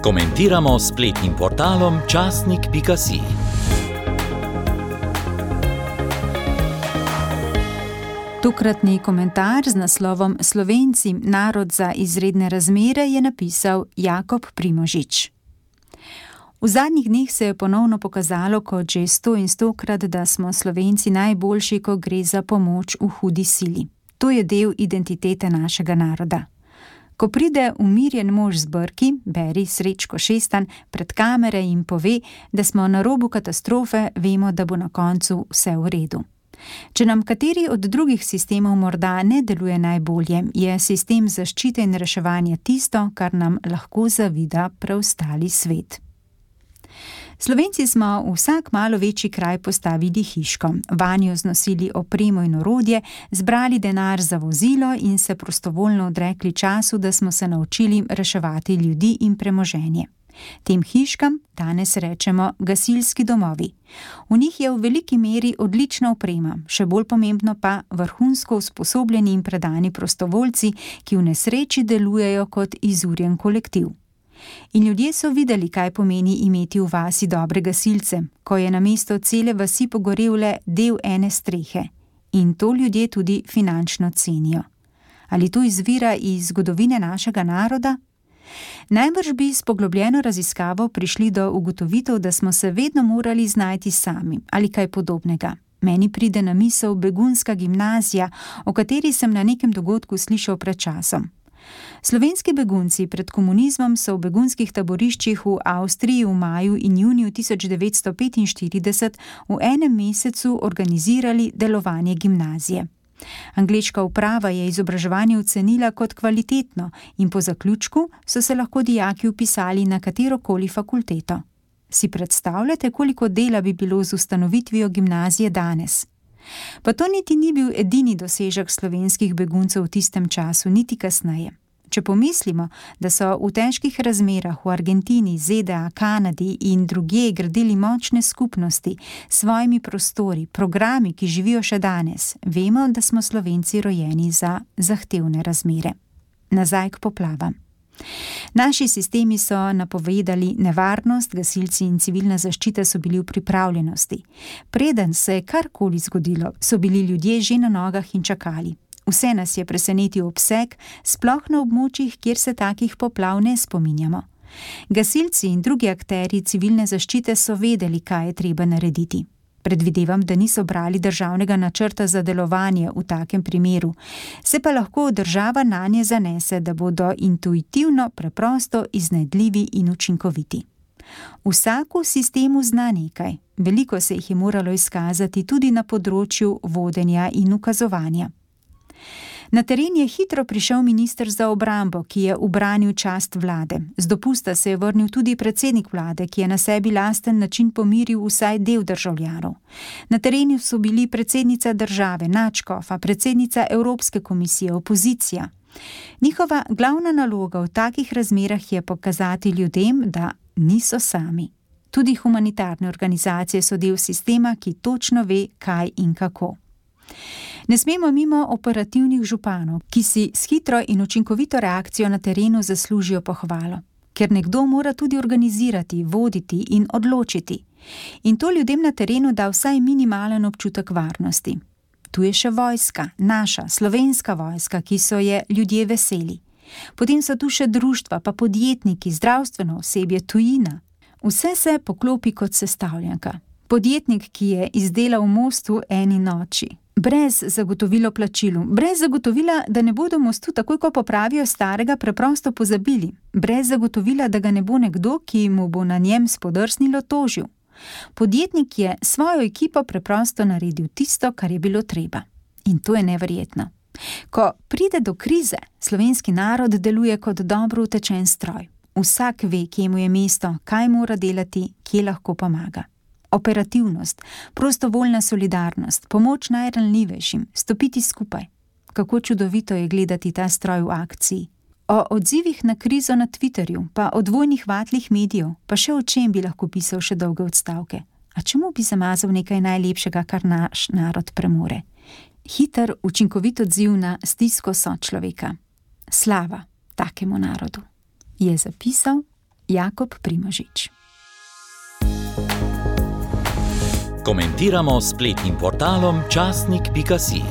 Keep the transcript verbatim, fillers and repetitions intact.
Komentiramo s spletnim portalom časnik pika si. Tokratni komentar z naslovom Slovenci, narod za izredne razmere je napisal Jakob Primožič. V zadnjih dneh se je ponovno pokazalo kot že sto in stokrat, da smo Slovenci najboljši, ko gre za pomoč v hudi sili. To je del identitete našega naroda. Ko pride umirjen mož z brki, beri Srečko Šestan, pred kamere in pove, da smo na robu katastrofe, vemo, da bo na koncu vse v redu. Če nam kateri od drugih sistemov morda ne deluje najbolje, je sistem zaščite in reševanja tisto, kar nam lahko zavida preostali svet. Slovenci smo v vsak malo večji kraj postavili hiško, vanjo znosili opremo in orodje, zbrali denar za vozilo in se prostovoljno odrekli času, da smo se naučili reševati ljudi in premoženje. Tem hiškam danes rečemo gasilski domovi. V njih je v veliki meri odlična oprema, še bolj pomembno pa vrhunsko usposobljeni in predani prostovoljci, ki v nesreči delujejo kot izurjen kolektiv. In ljudje so videli, kaj pomeni imeti v vasi dobre gasilce, ko je namesto cele vasi pogorel le del ene strehe. In to ljudje tudi finančno cenijo. Ali to izvira iz zgodovine našega naroda? Najbrž bi s poglobljeno raziskavo prišli do ugotovitev, da smo se vedno morali znajti sami ali kaj podobnega. Meni pride na misel begunska gimnazija, o kateri sem na nekem dogodku slišal pred časom. Slovenski begunci pred komunizmom so v begunskih taboriščih v Avstriji v maju in juniju tisoč devetsto petinštirideset v enem mesecu organizirali delovanje gimnazije. Angleška uprava je izobraževanje ocenila kot kvalitetno in po zaključku so se lahko dijaki vpisali na katerokoli fakulteto. Si predstavljate, koliko dela bi bilo z ustanovitvijo gimnazije danes? Pa to niti ni bil edini dosežek slovenskih beguncev v tistem času, niti kasneje. Če pomislimo, da so v težkih razmerah v Argentini, ZDA, Kanadi in drugje gradili močne skupnosti s svojimi prostori, programi, ki živijo še danes, vemo, da smo Slovenci rojeni za zahtevne razmere. Nazaj k poplavam. Naši sistemi so napovedali nevarnost, gasilci in civilna zaščita so bili v pripravljenosti. Preden se je karkoli zgodilo, so bili ljudje že na nogah in čakali. Vse nas je presenetil obseg, sploh na območjih, kjer se takih poplav ne spominjamo. Gasilci in drugi akterji civilne zaščite so vedeli, kaj je treba narediti. Predvidevam, da niso brali državnega načrta za delovanje v takem primeru, se pa lahko država nanje zanese, da bodo intuitivno, preprosto, iznajdljivi in učinkoviti. Vsak v sistemu zna nekaj, veliko se jih je moralo izkazati tudi na področju vodenja in ukazovanja. Na teren je hitro prišel minister za obrambo, ki je ubranil čast vlade. Z dopusta se je vrnil tudi predsednik vlade, ki je na sebi lasten način pomiril vsaj del državljanov. Na terenu so bili predsednica države, nadškofa, predsednica Evropske komisije, opozicija. Njihova glavna naloga v takih razmerah je pokazati ljudem, da niso sami. Tudi humanitarne organizacije so del sistema, ki točno ve, kaj in kako. Ne smemo mimo operativnih županov, ki si s hitro in učinkovito reakcijo na terenu zaslužijo pohvalo, ker nekdo mora tudi organizirati, voditi in odločiti. In to ljudem na terenu da vsaj minimalen občutek varnosti. Tu je še vojska, naša, slovenska vojska, ki so je ljudje veseli. Potem so tu še društva, pa podjetniki, zdravstveno osebje, tujina. Vse se poklopi kot sestavljanka. Podjetnik, ki je izdelal most v eni noči. Brez zagotovilo plačilu, brez zagotovila, da ne bodo mostu takoj, ko popravijo starega, preprosto pozabili, brez zagotovila, da ga ne bo nekdo, ki mu bo na njem spodrsnilo, tožil. Podjetnik je svojo ekipo preprosto naredil tisto, kar je bilo treba. In to je neverjetno. Ko pride do krize, slovenski narod deluje kot dobro utečen stroj. Vsak ve, kje mu je mesto, kaj mora delati, kje lahko pomaga. Operativnost, prostovoljna solidarnost, pomoč najranljivejšim, stopiti skupaj. Kako čudovito je gledati ta stroj v akciji. O odzivih na krizo na Twitterju, pa o dvojnih vatlih medijev, pa še o čem bi lahko pisal še dolge odstavke. A čemu bi zamazal nekaj najlepšega, kar naš narod premore? Hiter, učinkovit odziv na stisko sočloveka. Slava takemu narodu, je zapisal Jakob Primožič. Komentiramo s spletnim portalom časnik pika si.